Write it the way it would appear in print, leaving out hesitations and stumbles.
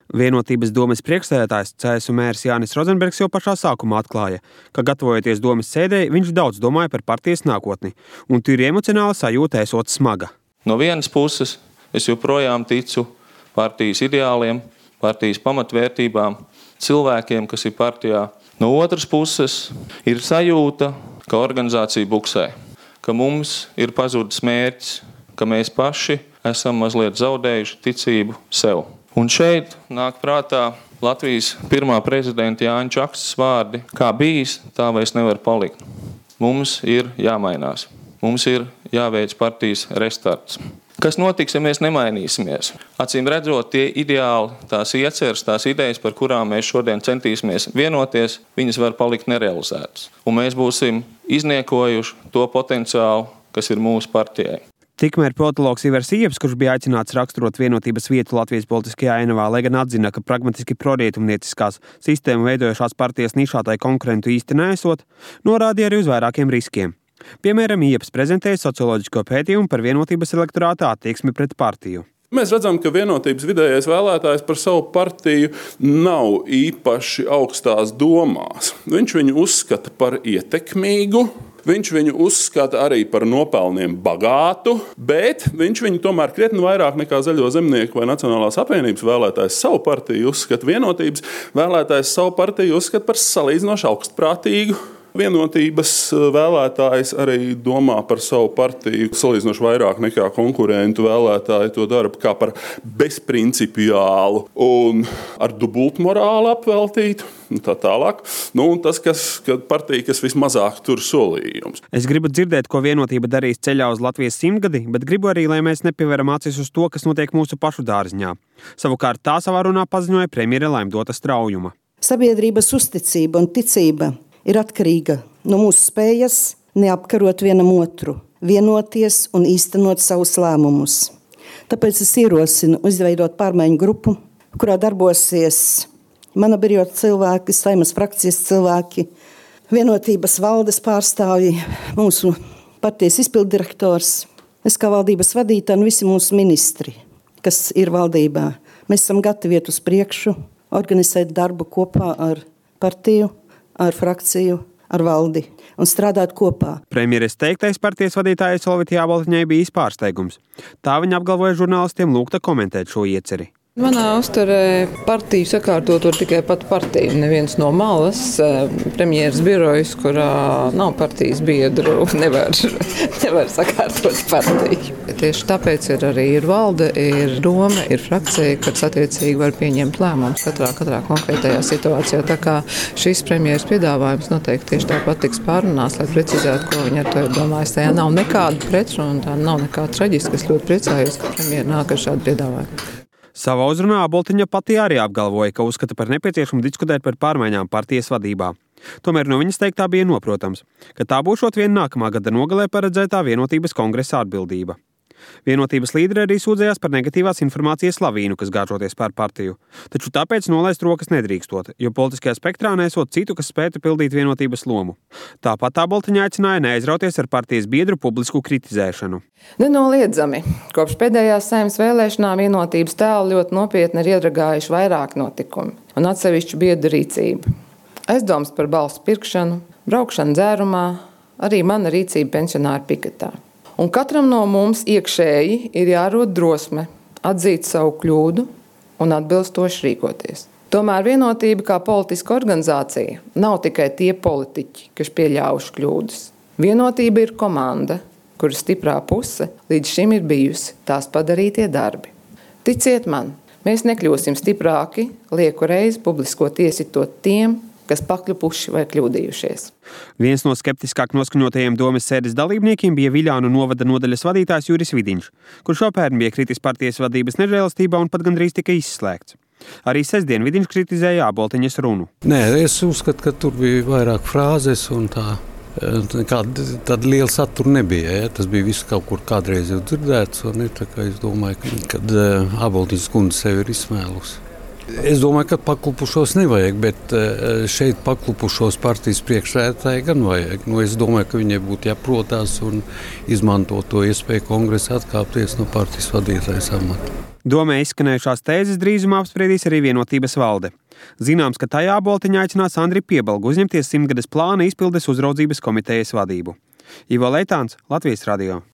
Vienotības domes priekšsēdētājs CSU mērs Jānis Rozenbergs jau pašā sākumā atklāja, ka gatavojoties domes sēdē, viņš daudz domāja par partijas nākotni, un tīri emocionāla sajūta esot smaga. No vienas puses es joprojām ticu partijas ideāliem, partijas pamatvērtībām, cilvēkiem, kas ir partijā. No otras puses ir sajūta, ka organizācija buksē, ka mums ir pazudis mērķis, ka mēs paši esam mazliet zaudējuši ticību sev. Un šeit nāk prātā Latvijas pirmā prezidenta Jāņa Čakstas vārdi: kā bijis, tā vairs nevar palikt. Mums ir jāmainās. Mums ir jāveic partijas restarts. Kas notiks, ja mēs nemainīsimies? Acīm redzot, tie ideāli, tās ieceres, tās idejas, par kurām mēs šodien centīsimies vienoties, viņas var palikt nerealizētas. Un mēs būsim izniekojuši to potenciālu, kas ir mūsu partijai. Tikmēr politologs Ivars Ieps, kurš bija aicināts raksturot vienotības vietu Latvijas politiskajā ainavā, lai gan atzina, ka pragmatiski prorietumnieciskās sistēmu veidojušās partijas nišātai konkurentu īsti neesot, norādīja arī uz vairākiem riskiem. Piemēram, Ieps prezentēja socioloģisko pētījumu par vienotības elektorāta attieksmi pret partiju. Mēs redzam, ka vienotības vidējais vēlētājs par savu partiju nav īpaši augstās domās. Viņš viņu uzskata par ietekmīgu. Viņš viņu uzskata arī par nopelniem bagātu, bet viņš viņu tomēr krietni vairāk nekā Zaļo zemnieku vai Nacionālās apvienības vēlētājs savu partiju uzskata, vienotības vēlētājs savu partiju uzskata par salīdzinoši augstprātīgu. Vienotības vēlētājs arī domā par savu partiju salīdzinoši vairāk nekā konkurentu vēlētāji to dara kā par bezprincipiālu un ar dubultmorālu apveltītu. Tā tālāk. Tas, partija, kas vismazāk tur solījums. Es gribu dzirdēt, ko Vienotība darīs ceļā uz Latvijas 100-gadi, bet gribu arī, lai mēs nepievēram acis uz to, kas notiek mūsu pašu dārziņā. Savukārt tā savā runā paziņoja premjere Laimdota Straujuma. Sabiedrības uzticība un ticība ir atkarīga no mūsu spējas neapkarot vienam otru, vienoties un īstenot savus lēmumus. Tāpēc es ierosinu izveidot pārmaiņu grupu, kurā darbosies mana biroja cilvēki, Saeimas frakcijas cilvēki, vienotības valdes pārstāvji, mūsu partijas izpilddirektors, es kā valdības vadītāja un visi mūsu ministri, kas ir valdībā. Mēs esam gatavi iet uz priekšu, organizēt darbu kopā ar partiju, ar frakciju, ar valdi un strādāt kopā. Premjeres teiktais partijas vadītājai Solvītai Jāboltiņai bija pārsteigums. Tā viņa apgalvoja žurnālistiem lūgta komentēt šo ieceri. Manā uzturē partiju sakārtot var tikai pat partija. Neviens no malas, premjeras birojas, kurā nav partijas biedru, nevar sakārtot partiju. Tieši tāpēc ir valde, ir doma, ir frakcija, kas attiecīgi var pieņemt lēmumus katrā konkrētajā situācijā. Tā kā šis premjeras piedāvājums noteikti tieši tāpat tiks pārunāts, lai precizētu, ko viņa ar to ir domājis. Tajā nav nekāda pretruna, tā nav nekā traģiska. Es ļoti priecājos, ka premjera nāk ar šādu piedāvājumu. Savā uzrunā Boltiņa pati arī apgalvoja, ka uzskata par nepieciešamu diskutēt par pārmaiņām partijas vadībā. Tomēr no viņas teiktā bija noprotams, ka tā būšot vien nākamā gada nogalē paredzētā vienotības kongresa atbildība. Vienotības līderi arī sūdzējās par negatīvās informācijas lavīnu, kas gāžoties pār partiju. Taču tāpēc nolaist rokas nedrīkstot, jo politiskajā spektrā nesot citu, kas spētu pildīt vienotības lomu. Tāpat tā Boltiņa aicināja neaizrauties ar partijas biedru publisku kritizēšanu. Nenoliedzami. Kopš pēdējās Saeimas vēlēšanām vienotības tēlu ļoti nopietni ir iedragājuši vairāk notikumi un atsevišķu biedru rīcību. Aizdoms par balsu pirkšanu, braukšanu dzērumā, arī mana rīcība pensionāru piketā. Un katram no mums iekšēji ir jārod drosme atzīt savu kļūdu un atbilstoši rīkoties. Tomēr vienotība kā politiska organizācija nav tikai tie politiķi, kas pieļāvuši kļūdas. Vienotība ir komanda, kuras stiprā puse līdz šim ir bijusi tās padarītie darbi. Ticiet man, mēs nekļūsim stiprāki, lieku reizi publiskot iesitot tiem, kas pakļupuši vai kļūdījušies. Viens no skeptiskāk noskaņotajiem domes sēdes dalībniekiem bija Viļānu novada nodaļas vadītājs Juris Vidiņš, kurš jau pērn bija kritis partijas vadības nežēlastībā un pat gandrīz tika izslēgts. Arī sestdien Vidiņš kritizēja Jāboltiņas runu. Nē, es uzskatu, ka tur bija vairāk frāzes un tā. Tāda liela satura nebija. Ja? Tas bija viss kaut kur kādreiz jau dzirdēts. Es domāju, ka Jāboltiņas kundze sevi ir izsmēlusi. Es domāju, ka paklupušos nevajag, bet šeit paklupušos partijas priekšsēdētāji gan vajag. Es domāju, ka viņiem būtu jāprotās un izmantot to iespēju kongresā atkāpties no partijas vadītājas amata. Domē izskanējušās tēzes drīzumā apspriedīs arī Vienotības valde. Zināms, ka tajā Boltiņa aicinās Andri Piebalgu uzņemties 100 plāna izpildes uzraudzības komitejas vadību. Ivo Leitāns, Latvijas radio.